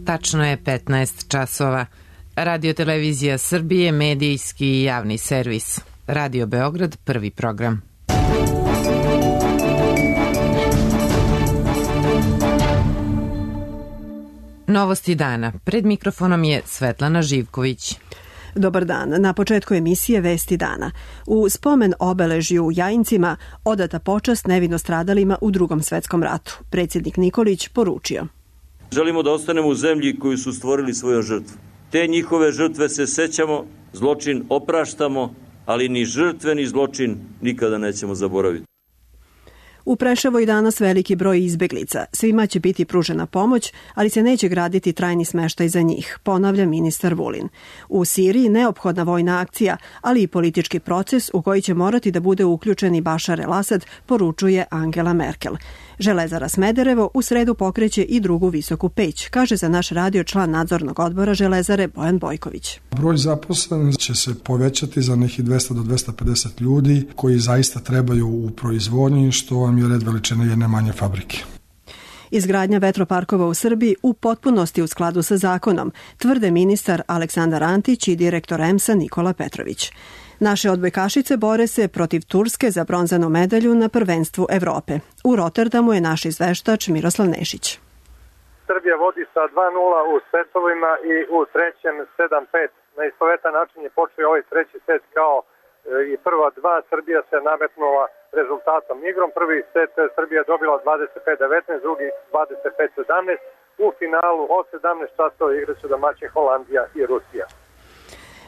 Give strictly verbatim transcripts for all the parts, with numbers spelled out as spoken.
Tačno je petnaest časova. Radio Televizija Srbije, medijski i javni servis. Radio Beograd, prvi program. Novosti dana. Pred mikrofonom je Svetlana Živković. Dobar dan. Na početku emisije Vesti dana. U spomen obeležju u Jajincima odata počast nevino stradalima u Drugom svetskom ratu. Predsjednik Nikolić poručio: Želimo da ostanemo u zemlji koju su stvorili svojom žrtvom. Te njihove žrtve se sećamo, zločin opraštamo, ali ni žrtve ni zločin nikada nećemo zaboraviti. U Preševu je danas veliki broj izbeglica. Svima će biti pružena pomoć, ali se neće graditi trajni smeštaj za njih, ponavlja ministar Vulin. U Siriji neophodna vojna akcija, ali i politički proces u koji će morati da bude uključen i Bašar el-Asad, poručuje Angela Merkel. Železara Smederevo u sredu pokreće i drugu visoku peć, kaže za naš radio član nadzornog odbora Železare Bojan Bojković. Broj zaposlenih će se povećati za nekih dvesta do dvesta pedeset ljudi koji zaista trebaju u proizvodnji, što vam je red veličine jedne manje fabrike. Izgradnja vetroparkova u Srbiji u potpunosti u skladu sa zakonom, tvrde ministar Aleksandar Antić i direktor E M S-a Nikola Petrović. Naše odbojkašice bore se protiv Turske za bronzanu medalju na prvenstvu Evrope. U Rotterdamu je naš izveštač Miroslav Nešić. Srbija vodi sa dva nula u setovima i u trećem sedam pet. Na istovetan način je počeo ovaj treći set kao i prva dva. Srbija se nametnula rezultatom igrom. Prvi set Srbija dobila dvadeset pet devetnaest, drugi dvadeset pet sedamnaest. U finalu od sedamnaest časova igraće domaćin Holandija i Rusija.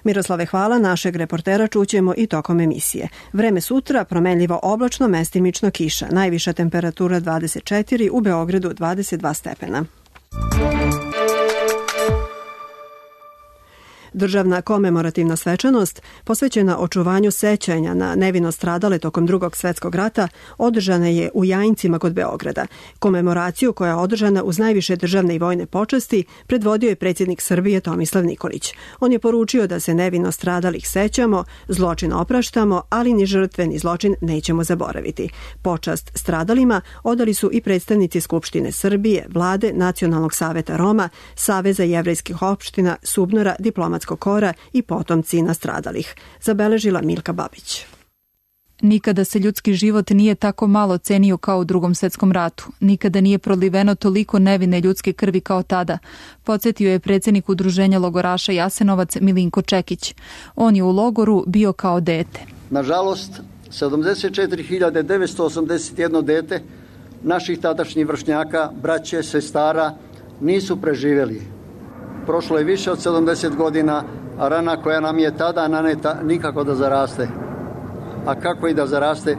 Miroslave, hvala. Našeg reportera čućemo i tokom emisije. Vreme sutra promenljivo oblačno, mestimično kiša. Najviša temperatura dvadeset četiri, u Beogradu dvadeset dva stepena. Državna komemorativna svečanost posvećena očuvanju sećanja na nevino stradale tokom Drugog svjetskog rata održana je u Jajincima kod Beograda. Komemoraciju koja je održana uz najviše državne i vojne počasti predvodio je predsjednik Srbije Tomislav Nikolić. On je poručio da se nevino stradalih sećamo, zločin opraštamo, ali ni žrtve ni zločin nećemo zaboraviti. Počast stradalima odali su i predstavnici Skupštine Srbije, Vlade, Nacionalnog saveta Roma, Saveza jevrejskih opština, Subnora, diplomatskog kora i potomci nastradalih, zabeležila Milka Babić. Nikada se ljudski život nije tako malo cenio kao u Drugom svjetskom ratu. Nikada nije proliveno toliko nevine ljudske krvi kao tada, podsjetio je predsjednik Udruženja logoraša Jasenovac Milinko Čekić. On je u logoru bio kao dete. Nažalost, sedamdeset četiri hiljade devetsto osamdeset jedno dete naših tadašnjih vršnjaka, braće, sestara nisu preživjeli. Prošlo je više od sedamdeset godina, a rana koja nam je tada naneta nikako da zaraste. A kako i da zaraste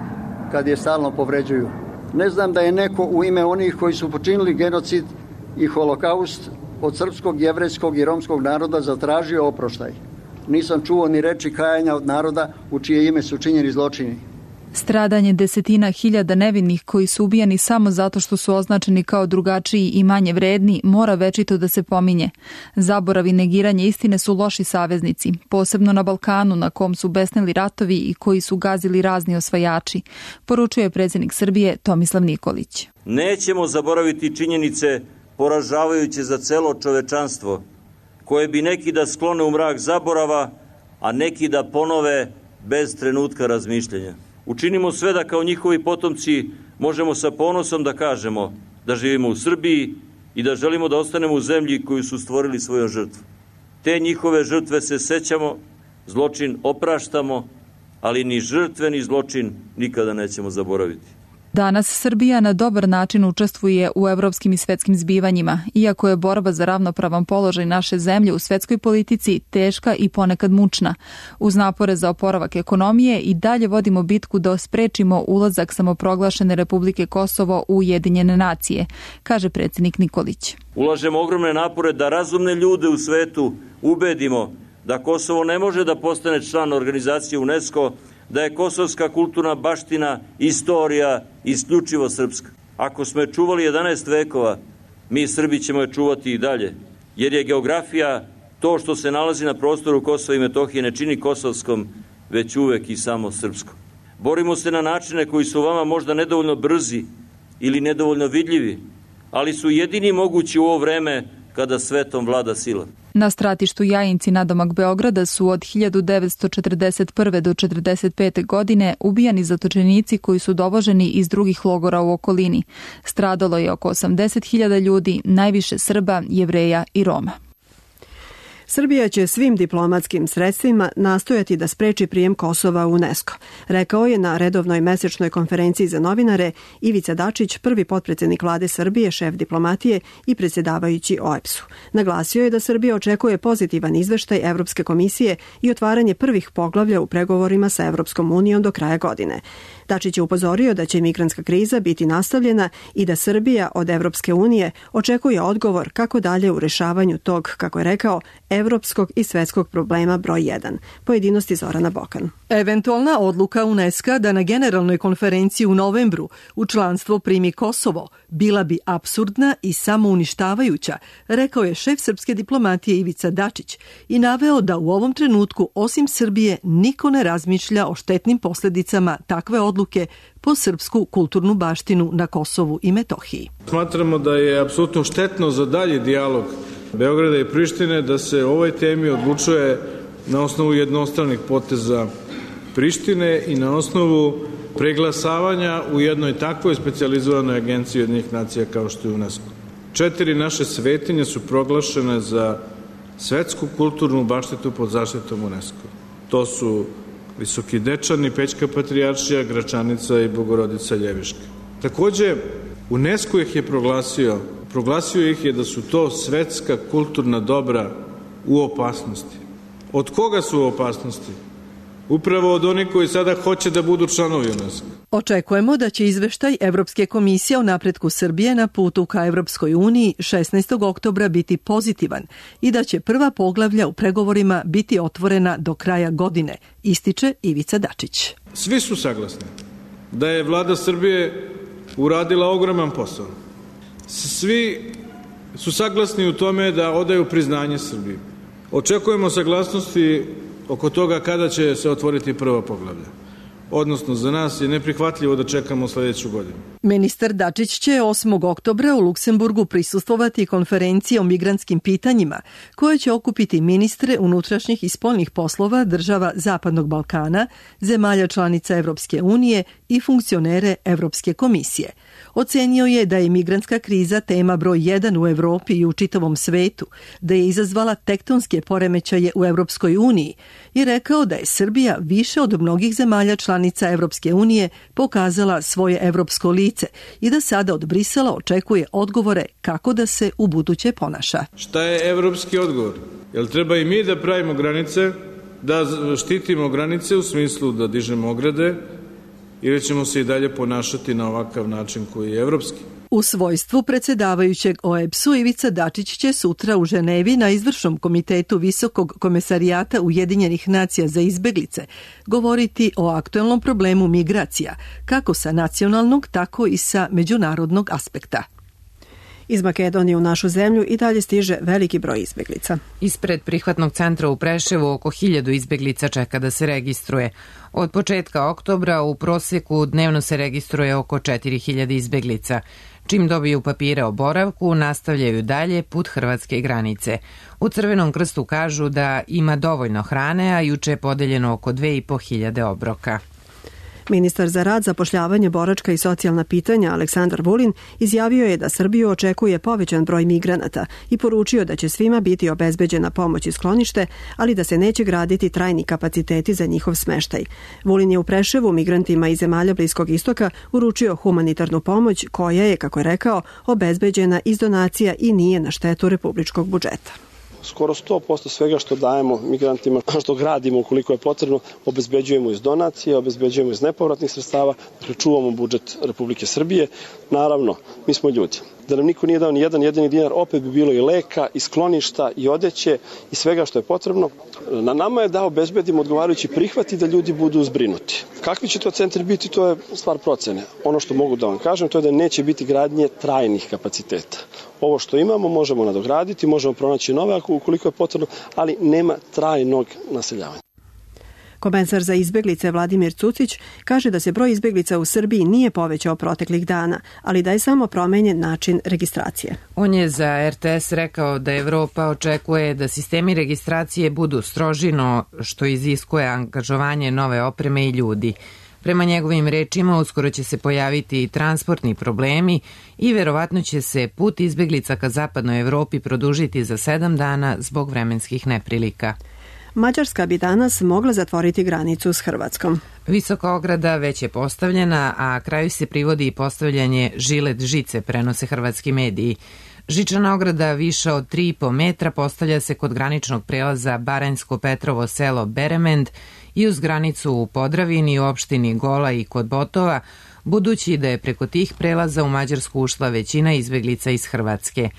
kad je stalno povređuju? Ne znam da je neko u ime onih koji su počinili genocid i holokaust od srpskog, jevrejskog i romskog naroda zatražio oproštaj. Nisam čuo ni reči kajanja od naroda u čije ime su činjeni zločini. Stradanje desetina hiljada nevinih koji su ubijani samo zato što su označeni kao drugačiji i manje vredni mora večito da se pominje. Zaborav i negiranje istine su loši saveznici, posebno na Balkanu na kom su besneli ratovi i koji su gazili razni osvajači, poručuje predsjednik Srbije Tomislav Nikolić. Nećemo zaboraviti činjenice poražavajuće za celo čovečanstvo, koje bi neki da sklone u mrak zaborava, a neki da ponove bez trenutka razmišljanja. Učinimo sve da kao njihovi potomci možemo sa ponosom da kažemo da živimo u Srbiji i da želimo da ostanemo u zemlji koju su stvorili svojom žrtvom. Te njihove žrtve se sećamo, zločin opraštamo, ali ni žrtve ni zločin nikada nećemo zaboraviti. Danas Srbija na dobar način učestvuje u evropskim i svetskim zbivanjima, iako je borba za ravnopravan položaj naše zemlje u svetskoj politici teška i ponekad mučna. Uz napore za oporavak ekonomije i dalje vodimo bitku da sprečimo ulazak samoproglašene Republike Kosovo u Ujedinjene nacije, kaže predsjednik Nikolić. Ulažemo ogromne napore da razumne ljude u svetu ubedimo da Kosovo ne može da postane član organizacije UNESCO, da je kosovska kulturna baština, istorija isključivo srpska. Ako smo je čuvali jedanaest vekova, mi Srbi ćemo je čuvati i dalje, jer je geografija to što se nalazi na prostoru Kosova i Metohije ne čini kosovskom, već uvek i samo srpskom. Borimo se na načine koji su vama možda nedovoljno brzi ili nedovoljno vidljivi, ali su jedini mogući u ovo vreme kada svetom vlada sila. Na stratištu Jajinci nadomak Beograda su od hiljadu devetsto četrdeset prve do četrdeset pete godine ubijani zatočenici koji su dovoženi iz drugih logora u okolini. Stradalo je oko osamdeset hiljada ljudi, najviše Srba, Jevreja i Roma. Srbija će svim diplomatskim sredstvima nastojati da spreči prijem Kosova u UNESCO, rekao je na redovnoj mesečnoj konferenciji za novinare Ivica Dačić, prvi potpredsednik vlade Srbije, šef diplomatije i predsjedavajući O E B S-u. Naglasio je da Srbija očekuje pozitivan izveštaj Evropske komisije i otvaranje prvih poglavlja u pregovorima sa Evropskom unijom do kraja godine. Dačić je upozorio da će migrantska kriza biti nastavljena i da Srbija od Evropske unije očekuje odgovor kako dalje u rešavanju tog, kako je rekao, evropskog i svetskog problema broj jedan. Pojedinosti Zorana Bokan. Eventualna odluka UNESCO da na generalnoj konferenciji u novembru u članstvo primi Kosovo bila bi apsurdna i samouništavajuća, rekao je šef srpske diplomatije Ivica Dačić i naveo da u ovom trenutku osim Srbije niko ne razmišlja o štetnim posljedicama takve odluke po srpsku kulturnu baštinu na Kosovu i Metohiji. Smatramo da je apsolutno štetno za dalji dijalog Beograda i Prištine da se o ovoj temi odlučuje na osnovu jednostranih poteza Prištine i na osnovu preglasavanja u jednoj takvoj specijalizovanoj agenciji Ujedinjenih nacija kao što je UNESCO. Četiri naše svetinje su proglašene za svetsku kulturnu baštinu pod zaštitom UNESCO. To su Visoki Dečani, Pećka patrijaršija, Gračanica i Bogorodica Ljeviška. Takođe, UNESCO ih je proglasio, proglasio ih je da su to svetska kulturna dobra u opasnosti. Od koga su u opasnosti? Upravo od onih koji sada hoće da budu članovi UNESCO. Očekujemo da će izveštaj Evropske komisije o napretku Srbije na putu ka Evropskoj uniji šesnaestog oktobra biti pozitivan i da će prva poglavlja u pregovorima biti otvorena do kraja godine, ističe Ivica Dačić. Svi su saglasni da je vlada Srbije uradila ogroman posao. Svi su saglasni u tome da odaju priznanje Srbiji. Očekujemo saglasnosti oko toga kada će se otvoriti prva poglavlja. Odnosno, za nas je neprihvatljivo da čekamo sljedeću godinu. Ministar Dačić će osmog oktobra u Luksemburgu prisustvovati konferenciji o migrantskim pitanjima, koja će okupiti ministre unutrašnjih i spoljnih poslova država Zapadnog Balkana, zemalja članica Evropske unije i funkcionere Evropske komisije. Ocenio je da je migrantska kriza tema broj jedan u Evropi i u čitavom svetu, da je izazvala tektonske poremećaje u Evropskoj uniji i rekao da je Srbija više od mnogih zemalja članica Evropske unije pokazala svoje evropsko lice i da sada od Brisela očekuje odgovore kako da se u buduće ponaša. Šta je evropski odgovor? Jel treba i mi da pravimo granice, da štitimo granice u smislu da dižemo ograde, ili ćemo se i dalje ponašati na ovakav način koji je evropski? U svojstvu predsjedavajućeg O E B S-u Ivica Dačić će sutra u Ženevi na izvršnom komitetu Visokog komesarijata Ujedinjenih nacija za izbeglice govoriti o aktuelnom problemu migracija, kako sa nacionalnog, tako i sa međunarodnog aspekta. Iz Makedonije u našu zemlju i dalje stiže veliki broj izbeglica. Ispred prihvatnog centra u Preševu oko hiljadu izbeglica čeka da se registruje. Od početka oktobra u prosjeku dnevno se registruje oko četiri hiljade izbeglica. Čim dobiju papire o boravku, nastavljaju dalje put hrvatske granice. U Crvenom krstu kažu da ima dovoljno hrane, a juče je podeljeno oko dve i po hiljade obroka. Ministar za rad, zapošljavanje, boračka i socijalna pitanja Aleksandar Vulin izjavio je da Srbiju očekuje povećan broj migranata i poručio da će svima biti obezbeđena pomoć i sklonište, ali da se neće graditi trajni kapaciteti za njihov smeštaj. Vulin je u Preševu migrantima iz zemalja Bliskog istoka uručio humanitarnu pomoć koja je, kako je rekao, obezbeđena iz donacija i nije na štetu republičkog budžeta. Skoro sto posto svega što dajemo migrantima, što gradimo ukoliko je potrebno, obezbeđujemo iz donacije, obezbeđujemo iz nepovratnih sredstava, dakle čuvamo budžet Republike Srbije. Naravno, mi smo ljudi. Da nam niko nije dao ni jedan jedini dinar, opet bi bilo i leka, i skloništa, i odeće, i svega što je potrebno. Na nama je da obezbedimo odgovarajući prihvat i da ljudi budu zbrinuti. Kakvi će to centri biti, to je stvar procene. Ono što mogu da vam kažem, to je da neće biti gradnje trajnih kapaciteta. Ovo što imamo možemo nadograditi, možemo pronaći nove ukoliko je potrebno, ali nema trajnog naseljavanja. Komesar za izbeglice Vladimir Cucić kaže da se broj izbeglica u Srbiji nije povećao proteklih dana, ali da je samo promenjen način registracije. On je za er te es rekao da Evropa očekuje da sistemi registracije budu stroži, no što iziskuje angažovanje nove opreme i ljudi. Prema njegovim rečima, uskoro će se pojaviti i transportni problemi i verovatno će se put izbeglica ka zapadnoj Evropi produžiti za sedam dana zbog vremenskih neprilika. Mađarska bi danas mogla zatvoriti granicu s Hrvatskom. Visoka ograda već je postavljena, a kraju se privodi i postavljanje žilet žice, prenose hrvatski mediji. Žičana ograda viša od tri i po metra postavlja se kod graničnog prelaza Baranjsko-Petrovo selo Beremend i uz granicu u Podravini, u opštini Gola i kod Botova, budući da je preko tih prelaza u Mađarsku ušla većina izbeglica iz Hrvatske.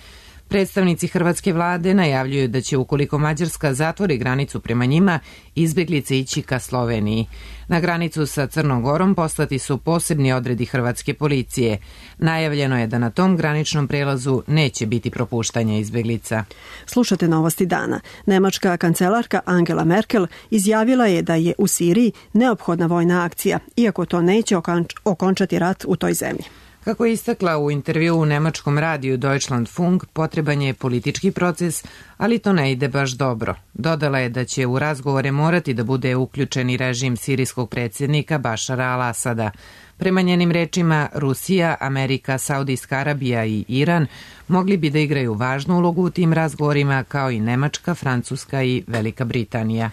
Predstavnici hrvatske vlade najavljuju da će, ukoliko Mađarska zatvori granicu prema njima, izbeglice ići ka Sloveniji. Na granicu sa Crnom Gorom poslati su posebni odredi hrvatske policije. Najavljeno je da na tom graničnom prelazu neće biti propuštanja izbeglica. Slušate novosti dana. Nemačka kancelarka Angela Merkel izjavila je da je u Siriji neophodna vojna akcija, iako to neće okončati rat u toj zemlji. Kako je istakla u intervju u nemačkom radiju Deutschlandfunk, potreban je politički proces, ali to ne ide baš dobro. Dodala je da će u razgovore morati da bude uključen i režim sirijskog predsjednika Bašara al-Asada. Prema njenim rečima, Rusija, Amerika, Saudijska Arabija i Iran mogli bi da igraju važnu ulogu u tim razgovorima, kao i Nemačka, Francuska i Velika Britanija.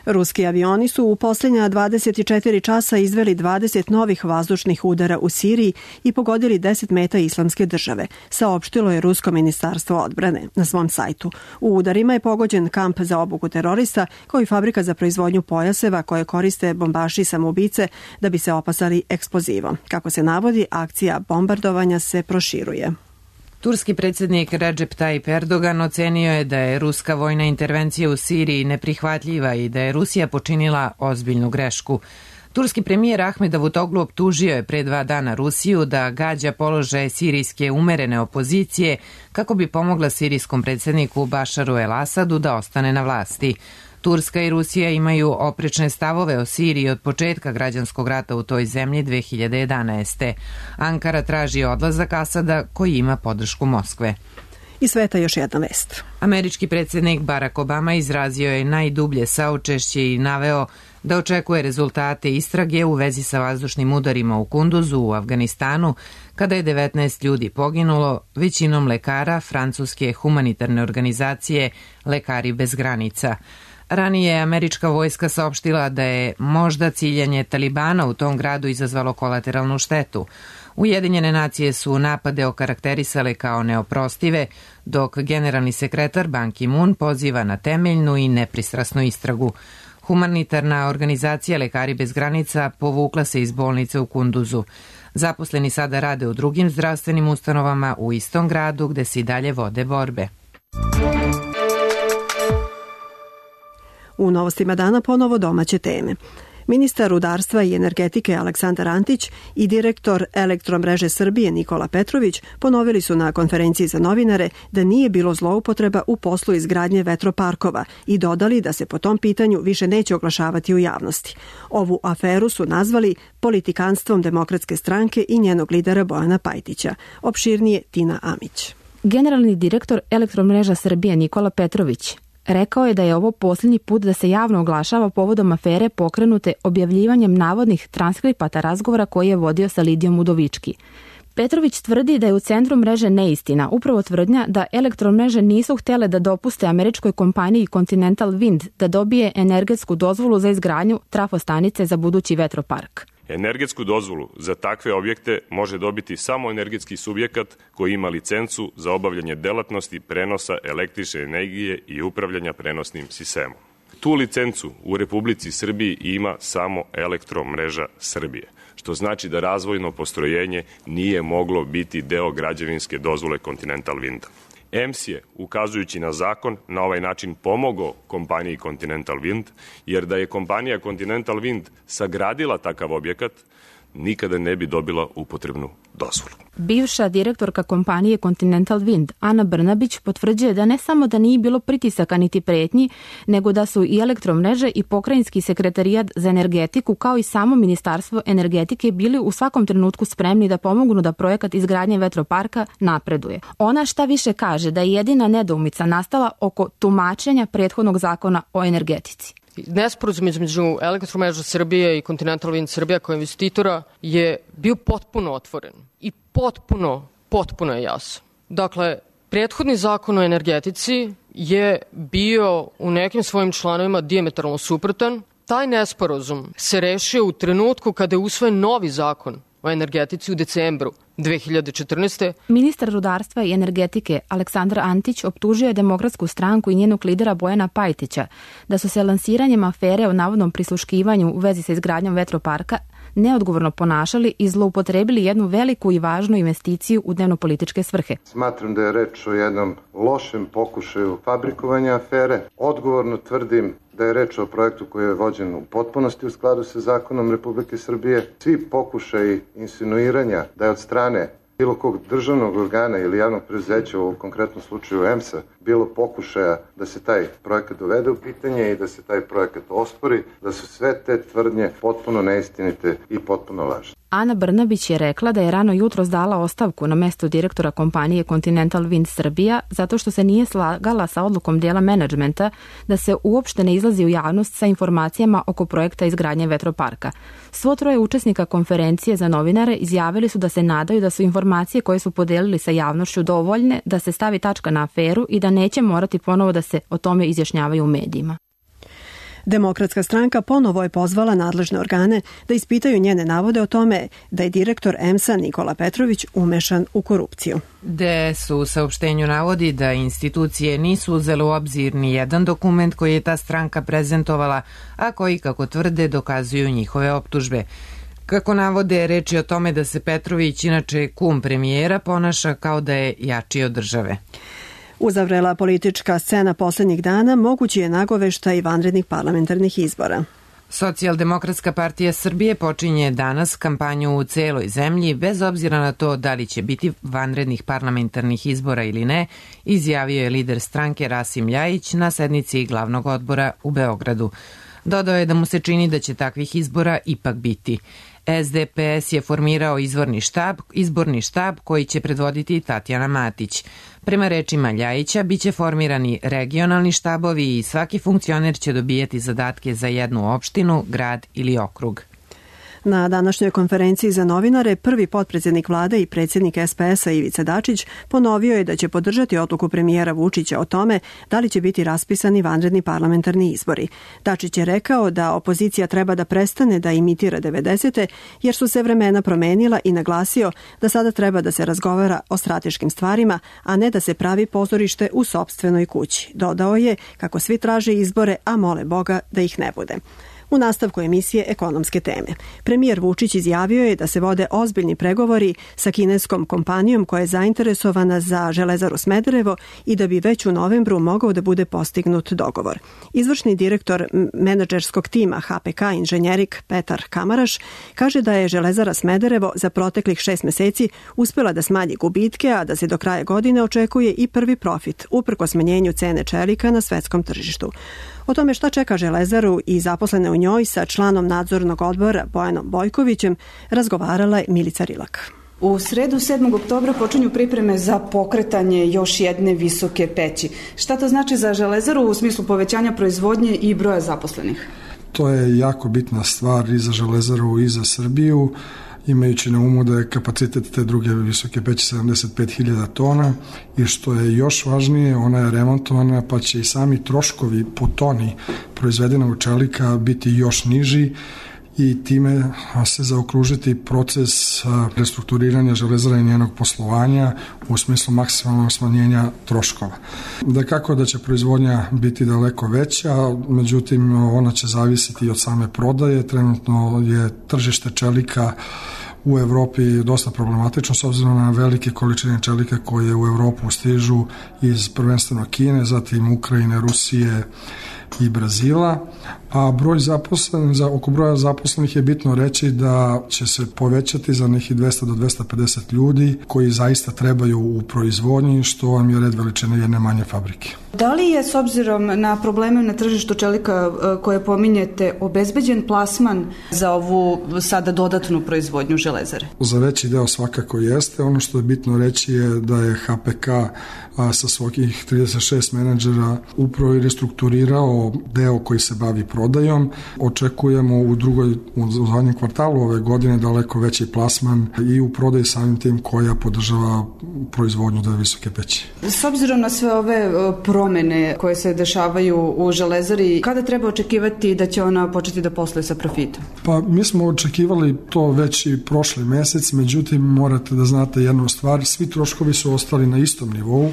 Ruski avioni su u posljednja dvadeset četiri časa izveli dvadeset novih vazdušnih udara u Siriji i pogodili deset meta Islamske države, saopštilo je Rusko ministarstvo odbrane na svom sajtu. U udarima je pogođen kamp za obuku terorista, kao i fabrika za proizvodnju pojaseva koje koriste bombaši i samoubice da bi se opasali eksplozivom. Kako se navodi, akcija bombardovanja se proširuje. Turski predsjednik Recep Tayyip Erdogan ocenio je da je ruska vojna intervencija u Siriji neprihvatljiva i da je Rusija počinila ozbiljnu grešku. Turski premijer Ahmed Davutoglu optužio je pre dva dana Rusiju da gađa položaje sirijske umerene opozicije kako bi pomogla sirijskom predsjedniku Bašaru el-Asadu da ostane na vlasti. Turska i Rusija imaju oprečne stavove o Siriji od početka građanskog rata u toj zemlji dve hiljade jedanaeste. Ankara traži odlazak Asada koji ima podršku Moskve. I sveta još jedna vest. Američki predsjednik Barack Obama izrazio je najdublje saučešće i naveo da očekuje rezultate istrage u vezi sa vazdušnim udarima u Kunduzu u Afganistanu, kada je devetnaest ljudi poginulo, većinom lekara francuske humanitarne organizacije Lekari bez granica. Ranije je američka vojska saopštila da je možda ciljanje Talibana u tom gradu izazvalo kolateralnu štetu. Ujedinjene nacije su napade okarakterisale kao neoprostive, dok generalni sekretar Ban Ki-moon poziva na temeljnu i nepristrasnu istragu. Humanitarna organizacija Lekari bez granica povukla se iz bolnice u Kunduzu. Zaposleni sada rade u drugim zdravstvenim ustanovama u istom gradu gde se i dalje vode borbe. U novostima dana ponovo domaće teme. Ministar rudarstva i energetike Aleksandar Antić i direktor Elektromreže Srbije Nikola Petrović ponovili su na konferenciji za novinare da nije bilo zloupotreba u poslu izgradnje vetroparkova i dodali da se po tom pitanju više neće oglašavati u javnosti. Ovu aferu su nazvali politikanstvom Demokratske stranke i njenog lidera Bojana Pajtića. Opširnije Tina Amić. Generalni direktor Elektromreža Srbije Nikola Petrović rekao je da je ovo posljednji put da se javno oglašava povodom afere pokrenute objavljivanjem navodnih transkripata razgovora koji je vodio sa Lidijom Udovički. Petrović tvrdi da je u centru mreže neistina, upravo tvrdnja da elektromreže nisu htjele da dopuste američkoj kompaniji Continental Wind da dobije energetsku dozvolu za izgradnju trafostanice za budući vetropark. Energetsku dozvolu za takve objekte može dobiti samo energetski subjekat koji ima licencu za obavljanje delatnosti prenosa električne energije i upravljanja prenosnim sistemom. Tu licencu u Republici Srbiji ima samo Elektromreža Srbije, što znači da razvojno postrojenje nije moglo biti deo građevinske dozvole Continental Winda. E M S je, ukazujući na zakon, na ovaj način pomogao kompaniji Continental Wind, jer da je kompanija Continental Wind sagradila takav objekat, nikada ne bi dobila upotrebnu dozvolu. Bivša direktorka kompanije Continental Wind, Ana Brnabić, potvrđuje da ne samo da nije bilo pritisaka niti pretnji, nego da su i Elektromreže i Pokrajinski sekretarijat za energetiku kao i samo Ministarstvo energetike bili u svakom trenutku spremni da pomognu da projekat izgradnje vetroparka napreduje. Ona šta više kaže da je jedina nedoumica nastala oko tumačenja prethodnog zakona o energetici. Nesporazum između Elektromreža Srbije i Continental Wind Srbija kao investitora je bio potpuno otvoren i potpuno, potpuno je jasan. Dakle, prethodni zakon o energetici je bio u nekim svojim članovima dijametralno suprotan. Taj nesporazum se rešio u trenutku kada je usvojen novi zakon o energetici u decembru dve hiljade četrnaeste. Ministar rudarstva i energetike Aleksandar Antić optužio je Demokratsku stranku i njenog lidera Bojana Pajtića da su se lansiranjem afere o navodnom prisluškivanju u vezi sa izgradnjom vetroparka neodgovorno ponašali i zloupotrebili jednu veliku i važnu investiciju u dnevnopolitičke svrhe. Smatram da je reč o jednom lošem pokušaju fabrikovanja afere. Odgovorno tvrdim da je reč o projektu koji je vođen u potpunosti u skladu sa zakonom Republike Srbije. Svi pokušaji insinuiranja da je od strane bilo kog državnog organa ili javnog preduzeća, u konkretnom slučaju E M S-a, bilo pokušaja da se taj projekat dovede u pitanje i da se taj projekat ospori, da su sve te tvrdnje potpuno neistinite i potpuno lažne. Ana Brnabić je rekla da je rano jutros dala ostavku na mesto direktora kompanije Continental Wind Srbija zato što se nije slagala sa odlukom dela menadžmenta da se uopšte ne izlazi u javnost sa informacijama oko projekta izgradnje vetroparka. Svo troje učesnika konferencije za novinare izjavili su da se nadaju da su informacije koje su podelili sa javnošću dovoljne da se stavi tačka na aferu i da neće morati ponovo da se o tome izjašnjavaju u medijima. Demokratska stranka ponovo je pozvala nadležne organe da ispitaju njene navode o tome da je direktor E M S-a Nikola Petrović umešan u korupciju. D S u saopštenju navodi da institucije nisu uzele u obzir ni jedan dokument koji je ta stranka prezentovala, a koji, kako tvrde, dokazuju njihove optužbe. Kako navode, reč je o tome da se Petrović, inače kum premijera, ponaša kao da je jači od države. Uzavrela politička scena poslednjih dana mogući je nagoveštaj vanrednih parlamentarnih izbora. Socijaldemokratska partija Srbije počinje danas kampanju u celoj zemlji, bez obzira na to da li će biti vanrednih parlamentarnih izbora ili ne, izjavio je lider stranke Rasim Ljajić na sednici glavnog odbora u Beogradu. Dodao je da mu se čini da će takvih izbora ipak biti. S D P S je formirao izvorni štab, izborni štab koji će predvoditi Tatjana Matić. Prema rečima Ljajića, biće formirani regionalni štabovi i svaki funkcioner će dobijati zadatke za jednu opštinu, grad ili okrug. Na današnjoj konferenciji za novinare prvi potpredsednik vlade i predsjednik S P S-a Ivica Dačić ponovio je da će podržati odluku premijera Vučića o tome da li će biti raspisani vanredni parlamentarni izbori. Dačić je rekao da opozicija treba da prestane da imitira devedesete jer su se vremena promenila i naglasio da sada treba da se razgovara o strateškim stvarima, a ne da se pravi pozorište u sopstvenoj kući. Dodao je kako svi traže izbore, a mole Boga da ih ne bude. U nastavku emisije Ekonomske teme. Premijer Vučić izjavio je da se vode ozbiljni pregovori sa kineskom kompanijom koja je zainteresovana za Železaru Smederevo i da bi već u novembru mogao da bude postignut dogovor. Izvršni direktor menadžerskog tima H P K Inženjerik Petar Kamaraš kaže da je Železara Smederevo za proteklih šest meseci uspela da smanji gubitke, a da se do kraja godine očekuje i prvi profit, uprkos smanjenju cene čelika na svetskom tržištu. O tome šta čeka Železaru i zaposlene u njoj sa članom nadzornog odbora Bojanom Bojkovićem razgovarala je Milica Rilak. U sredu sedmog oktobra počinju pripreme za pokretanje još jedne visoke peći. Šta to znači za Železaru u smislu povećanja proizvodnje i broja zaposlenih? To je jako bitna stvar i za Železaru i za Srbiju, imajući na umu da je kapacitet te druge visoke peći sedamdeset pet hiljada tona i što je još važnije, ona je remontovana pa će i sami troškovi po toni proizvedenog čelika biti još niži i time se zaokružiti proces restrukturiranja Železara i njenog poslovanja u smislu maksimalnog smanjenja troškova. Da kako da će proizvodnja biti daleko veća, međutim ona će zavisiti od same prodaje. Trenutno je tržište čelika u Evropi dosta problematično s obzirom na velike količine čelika koje u Evropu stižu iz prvenstveno Kine, zatim Ukrajine, Rusije i Brazila, a broj zaposlenih, za oko broja zaposlenih je bitno reći da će se povećati za nekih dvesta do dvesta pedeset ljudi koji zaista trebaju u proizvodnji, što vam je red veličine jedne manje fabrike. Da li je s obzirom na probleme na tržištu čelika koje pominjete obezbeđen plasman za ovu sada dodatnu proizvodnju Železare? Za veći deo svakako jeste. Ono što je bitno reći je da je H P K a, sa svojih trideset šest menadžera upravo i restrukturirao deo koji se bavi prodajom. Očekujemo u drugoj, u zadnjem kvartalu ove godine daleko veći plasman i u prodaji samim tim koja podržava proizvodnju do visoke peći. S obzirom na sve ove promene koje se dešavaju u Železari, kada treba očekivati da će ona početi da posluje sa profitom? Pa mi smo očekivali to već i prošli mesec, međutim morate da znate jednu stvar, svi troškovi su ostali na istom nivou,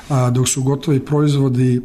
a, dok su gotovi proizvodi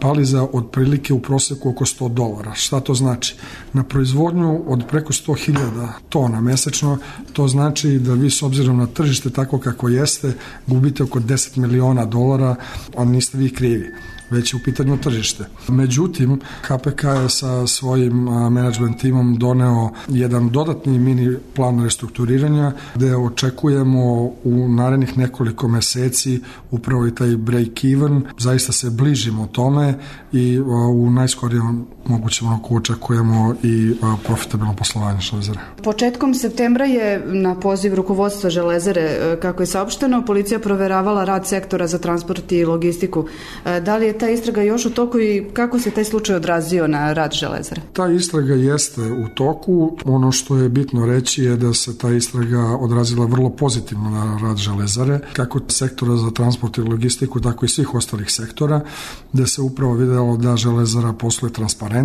pali za otprilike u proseku oko sto dolara. Šta to znači? Na proizvodnju od preko sto hiljada tona mesečno, to znači da vi s obzirom na tržište tako kako jeste, gubite oko deset miliona dolara, a niste vi krivi, već je u pitanju tržište. Međutim, H P K je sa svojim menadžment timom doneo jedan dodatni mini plan restrukturiranja gde očekujemo u narednih nekoliko meseci upravo i taj break-even. Zaista se bližimo tome i u najskorijem mogućem roku očekujemo i profitabilno poslovanje Železare. Početkom septembra je na poziv rukovodstva Železare, kako je saopšteno, policija proveravala rad sektora za transport i logistiku. Da li je ta istraga još u toku i kako se taj slučaj odrazio na rad Železare? Ta istraga jeste u toku. Ono što je bitno reći je da se ta istraga odrazila vrlo pozitivno na rad Železare, kako sektora za transport i logistiku, tako i svih ostalih sektora, gde se upravo videlo da Železara posluje transparentno,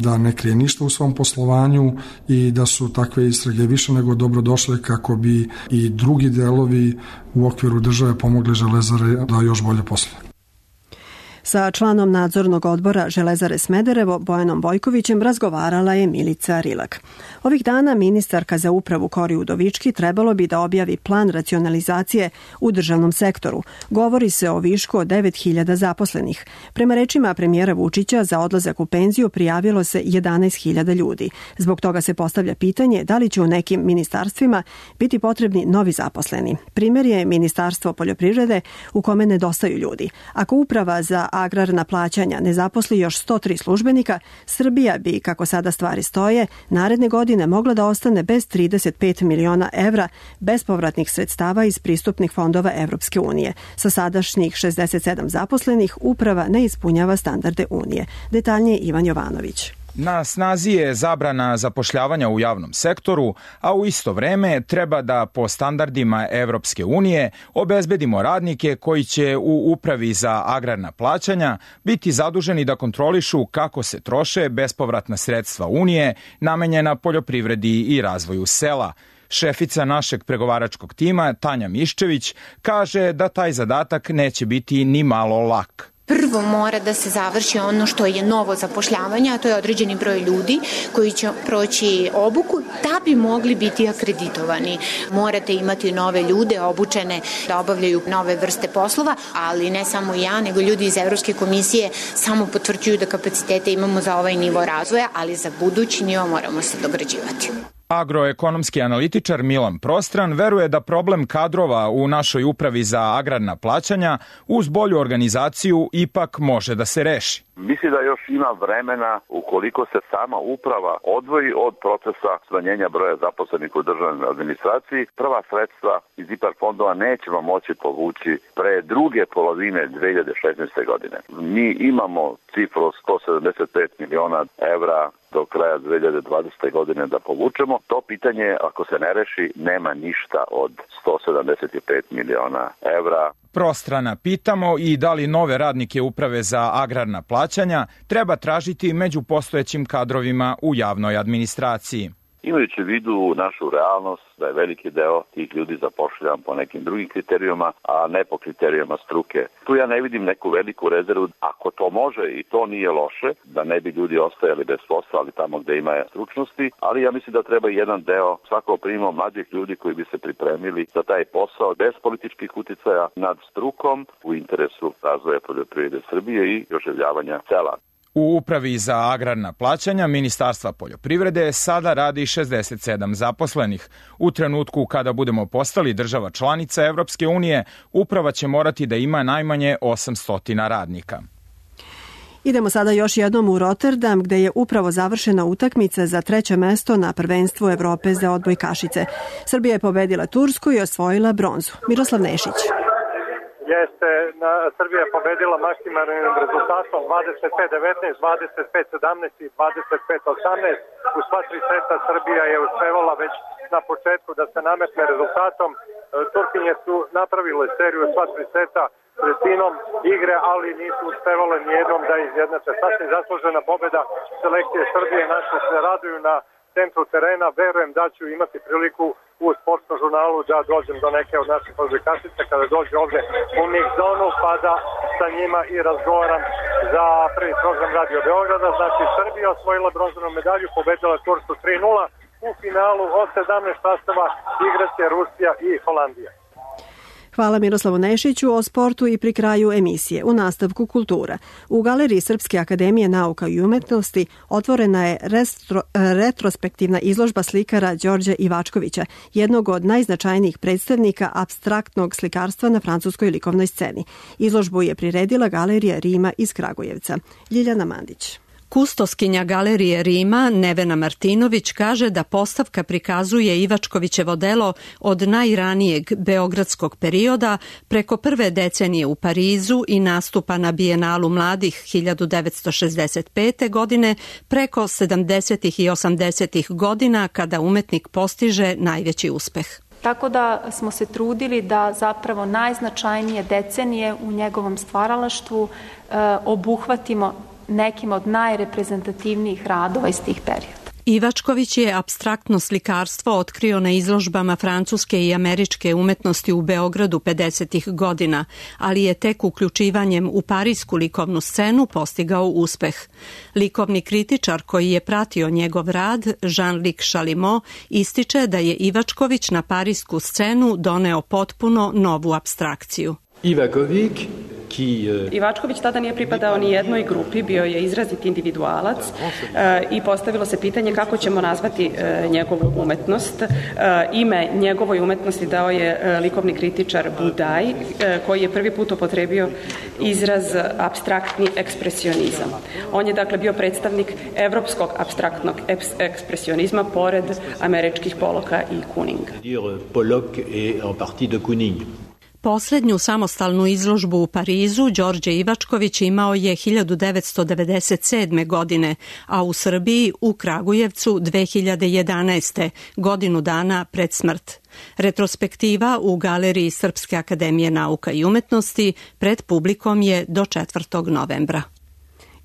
da ne krije ništa u svom poslovanju i da su takve istrage više nego dobrodošle kako bi i drugi delovi u okviru države pomogli Železare da još bolje posluje. Sa članom nadzornog odbora Železare Smederevo, Bojanom Bojkovićem, razgovarala je Milica Rilak. Ovih dana ministarka za upravu Kori Udovički trebalo bi da objavi plan racionalizacije u državnom sektoru. Govori se o višku od devet hiljada zaposlenih. Prema rečima premijera Vučića, za odlazak u penziju prijavilo se jedanaest hiljada ljudi. Zbog toga se postavlja pitanje da li će u nekim ministarstvima biti potrebni novi zaposleni. Primer je Ministarstvo poljoprivrede u kome nedostaju ljudi. Ako uprava za agrarna plaćanja ne zaposli još sto tri službenika, Srbija bi, kako sada stvari stoje, naredne godine mogla da ostane bez trideset pet miliona evra bespovratnih sredstava iz pristupnih fondova Evropske unije. Sa sadašnjih šezdeset sedam zaposlenih, uprava ne ispunjava standarde Unije. Detaljnije Ivan Jovanović. Na snazi je zabrana zapošljavanja u javnom sektoru, a u isto vreme treba da po standardima Evropske unije obezbedimo radnike koji će u upravi za agrarna plaćanja biti zaduženi da kontrolišu kako se troše bespovratna sredstva Unije namenjena poljoprivredi i razvoju sela. Šefica našeg pregovaračkog tima, Tanja Miščević, kaže da taj zadatak neće biti ni malo lak. Prvo mora da se završi ono što je novo zapošljavanje, a to je određeni broj ljudi koji će proći obuku da bi mogli biti akreditovani. Morate imati nove ljude obučene da obavljaju nove vrste poslova, ali ne samo ja, nego ljudi iz Evropske komisije samo potvrđuju da kapacitete imamo za ovaj nivo razvoja, ali za budući nivo moramo se dograđivati. Agroekonomski analitičar Milan Prostran veruje da problem kadrova u našoj upravi za agrarna plaćanja uz bolju organizaciju ipak može da se reši. Mislim da još ima vremena ukoliko se sama uprava odvoji od procesa smanjenja broja zaposlenih u državnoj administraciji. Prva sredstva iz IPARD fondova nećemo moći povući pre druge polovine dve hiljade šesnaeste. godine. Mi imamo cifru od sto sedamdeset pet miliona evra do kraja dve hiljade dvadesete. godine da povučemo. To pitanje, ako se ne reši, nema ništa od sto sedamdeset pet miliona evra. Prostrana pitamo i da li nove radnike uprave za agrarna plaćanja treba tražiti među postojećim kadrovima u javnoj administraciji. Imajući u vidu našu realnost da je veliki deo tih ljudi zapošljavan po nekim drugim kriterijuma, a ne po kriterijama struke. Tu ja ne vidim neku veliku rezervu. Ako to može i to nije loše, da ne bi ljudi ostajali bez posla, ali tamo gde ima stručnosti, ali ja mislim da treba jedan deo svako primimo mladih ljudi koji bi se pripremili za taj posao bez političkih uticaja nad strukom u interesu razvoja poljoprivrede Srbije i oživljavanja sela. U Upravi za agrarna plaćanja Ministarstva poljoprivrede sada radi šezdeset sedam zaposlenih. U trenutku kada budemo postali država članica Evropske unije, uprava će morati da ima najmanje osamsto radnika. Idemo sada još jednom u Rotterdam, gde je upravo završena utakmica za treće mesto na prvenstvu Evrope za odbojkašice. Srbija je pobedila Tursku i osvojila bronzu. Miroslav Nešić. Jeste, na, Srbija je pobedila maksimalnim rezultatom dvadeset pet devetnaest, dvadeset pet sedamnaest i dvadeset pet osamnaest. U sva tri seta Srbija je uspevala već na početku da se nametne rezultatom. Turkinje su napravile seriju sva tri seta sredinom igre, ali nisu uspevale nijednom da izjednače. Sasvim zaslužena pobeda selekcije Srbije, naše se raduju na centru terena. Verujem da ću imati priliku u sportskom žurnalu da dođem do neke od naših odbojkašica kada dođe ovde u mix zonu, pa da sa njima i razgovaram za prvi program Radio Beograda. Znači, Srbija osvojila bronzanu medalju, pobedila Tursku tri nula. U finalu od sedamnaest sastava igraće Rusija i Holandija. Hvala Miroslavu Nešiću. O sportu i pri kraju emisije. U nastavku kultura. U Galeriji Srpske akademije nauka i umetnosti otvorena je restro, retrospektivna izložba slikara Đorđa Ivačkovića, jednog od najznačajnijih predstavnika apstraktnog slikarstva na francuskoj likovnoj sceni. Izložbu je priredila Galerija Rima iz Kragujevca. Ljiljana Mandić. Kustoskinja Galerije Rima, Nevena Martinović, kaže da postavka prikazuje Ivačkovićevo delo od najranijeg beogradskog perioda preko prve decenije u Parizu i nastupa na Bijenalu mladih hiljadu devetsto šezdeset pete. godine preko sedamdesetih i osamdesetih godina kada umetnik postiže najveći uspeh. Tako da smo se trudili da zapravo najznačajnije decenije u njegovom stvaralaštvu e, obuhvatimo nekim od najreprezentativnijih radova iz tih perioda. Ivačković je apstraktno slikarstvo otkrio na izložbama francuske i američke umetnosti u Beogradu pedesetih godina, ali je tek uključivanjem u parisku likovnu scenu postigao uspeh. Likovni kritičar koji je pratio njegov rad, Jean-Luc Chalimot, ističe da je Ivačković na parisku scenu doneo potpuno novu apstrakciju. Ivaković Ivačković tada nije pripadao ni jednoj grupi, bio je izrazit individualac e, i postavilo se pitanje kako ćemo nazvati e, njegovu umetnost. E, ime njegovoj umetnosti dao je e, likovni kritičar Budaj, e, koji je prvi put upotrebio izraz apstraktni ekspresionizam. On je dakle bio predstavnik evropskog apstraktnog ekspresionizma pored američkih Poloka i Kuninga. Poslednju samostalnu izložbu u Parizu Đorđe Ivačković imao je hiljadu devetsto devedeset sedme. godine, a u Srbiji u Kragujevcu dve hiljade jedanaeste. godinu dana pred smrt. Retrospektiva u Galeriji Srpske akademije nauka i umetnosti pred publikom je do četvrtog novembra.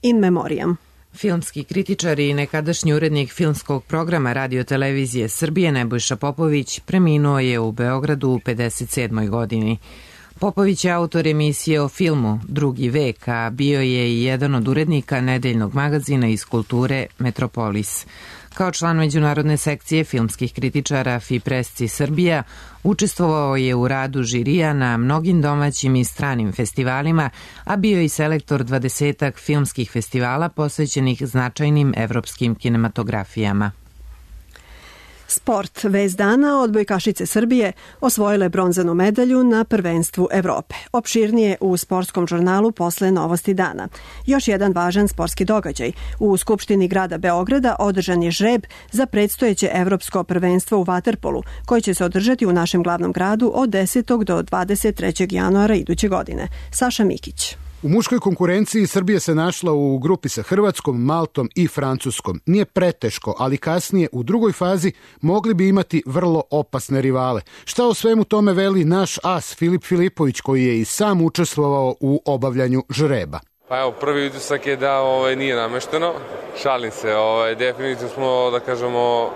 In memoriam. Filmski kritičar i nekadašnji urednik filmskog programa Radio-televizije Srbije Nebojša Popović preminuo je u Beogradu u pedeset sedmoj. godini. Popović je autor emisije o filmu Drugi vek, a bio je i jedan od urednika nedeljnog magazina iz kulture Metropolis. Kao član međunarodne sekcije filmskih kritičara FIPRESCI Srbija, učestvovao je u radu žirija na mnogim domaćim i stranim festivalima, a bio i selektor dvadesetak filmskih festivala posvećenih značajnim evropskim kinematografijama. Sport. Vez dana, odbojkašice Srbije osvojile bronzanu medalju na prvenstvu Evrope. Opširnije u sportskom žurnalu posle Novosti dana. Još jedan važan sportski događaj. U Skupštini grada Beograda održan je žreb za predstojeće evropsko prvenstvo u vaterpolu, koji će se održati u našem glavnom gradu od desetog do dvadeset trećeg januara iduće godine. Saša Mikić. U muškoj konkurenciji Srbija se našla u grupi sa Hrvatskom, Maltom i Francuskom. Nije preteško, ali kasnije u drugoj fazi mogli bi imati vrlo opasne rivale. Šta o svemu tome veli naš as Filip Filipović, koji je i sam učestvovao u obavljanju žreba? Pa evo, prvi utisak je da ovaj, nije namešteno. Šalim se, ovaj, definitivno smo, da kažemo,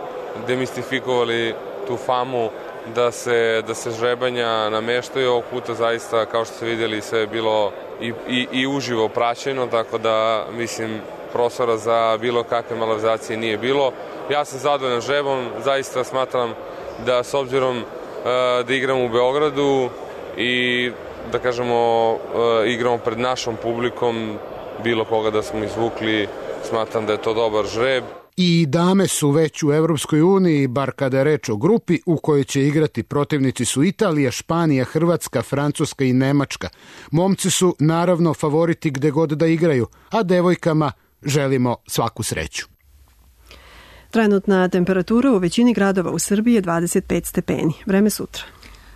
demistifikovali tu famu da se, da se žrebanja nameštaju. Ovog puta zaista, kao što ste vidjeli, sve je bilo i, i, i uživo praćeno, tako da, mislim, prostora za bilo kakve malverzacije nije bilo. Ja sam zadovoljan žrebom, zaista smatram da s obzirom uh, da igram u Beogradu i da kažemo uh, igramo pred našom publikom, bilo koga da smo izvukli, smatram da je to dobar žreb. I dame su već u Evropskoj uniji, bar kada je reč o grupi u kojoj će igrati protivnici su Italija, Španija, Hrvatska, Francuska i Nemačka. Momci su naravno favoriti gde god da igraju, a devojkama želimo svaku sreću. Trenutna temperatura u većini gradova u Srbiji je dvadeset pet stepeni. Vreme sutra.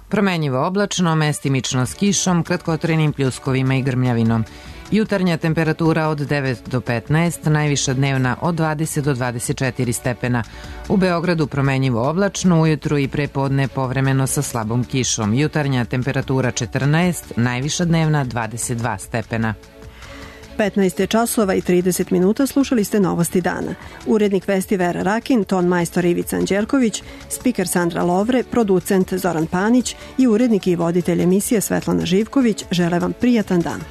Promenjivo oblačno, mestimično s kišom, kratkotrenim pljuskovima i grmljavinom. Jutarnja temperatura od devet do petnaest, najviša dnevna od dvadeset do dvadeset četiri stepena. U Beogradu promenjivo oblačno, ujutru i prepodne povremeno sa slabom kišom. Jutarnja temperatura četrnaest, najviša dnevna dvadeset dva stepena. petnaest je časova i trideset minuta, slušali ste Novosti dana. Urednik vesti Vera Rakin, ton majstor Ivica Anđelković, spiker Sandra Lovre, producent Zoran Panić i urednik i voditelj emisije Svetlana Živković žele vam prijatan dan.